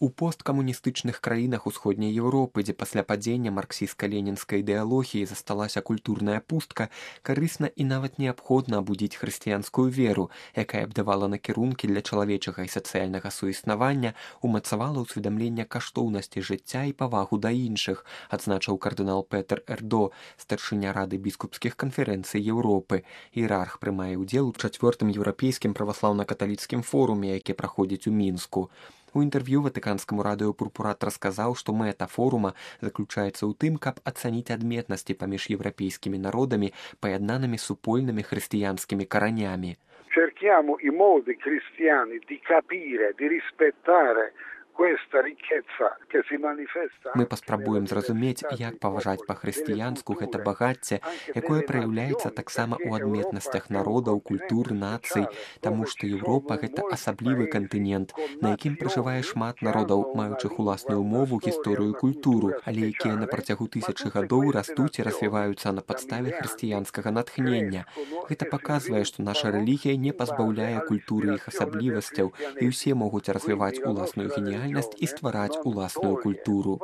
У посткамуністычных краінах усходняй Еўропы, дзе пасля падзення марксістска-ленінскай ідэалогіі засталася культурная пустка, карысна і нават неабходна абудзіць хрысціянскую веру, якая б давала накірункі для чалавечага і сацыяльнага суіснавання, умацавала ўсведамленне каштоўнасці жыцця і павагу да іншых, адзначыў кардынал Петер Эрдо, старшыня Рады біскупскіх канферэнцый Еўропы. Іерарх прымае ўдзел у 4-м еўрапейскім праваслаўна-каталіцкім форуме, які праходзіць у Мінску. У інтэрв'ю ватыканскаму радыё «Пурпурат» расказаў, што мэта форума заключаецца ў тым, каб ацаніць адметнасці паміж еўрапейскімі народамі, паяднанымі супольнымі хрысціянскімі каранямі. Cerchiamo i modi cristiani di capire, di rispettare questa ricchezza che si manifesta. Мы паспрабуем зразумець, як паважаць па-хрысціянску гэта багацце, якое праяўляецца таксама ў адметнасцях народаў, культур, нацый, таму што Еўропа — гэта асаблівы кантынент, на якім пражывае шмат народаў, маючых уласную мову, гісторыю, культуру, але якія на працягу тысячы гадоў растуць і развіваюцца на падставе хрысціянскага натхнення. Гэта паказвае, што наша рэлігія не пазбаўляе культуры іх асаблівасцяў, і ўсе могуць развіваць уласную геніяльнасць і ствараць уласную культуру.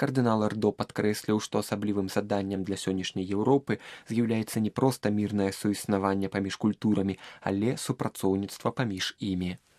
Кардынал Эрдо падкрэсліў, што асаблівым заданнем для сённяшняй Еўропы з'яўляецца не проста мірнае суіснаванне паміж культурамі, але супрацоўніцтва паміж імі.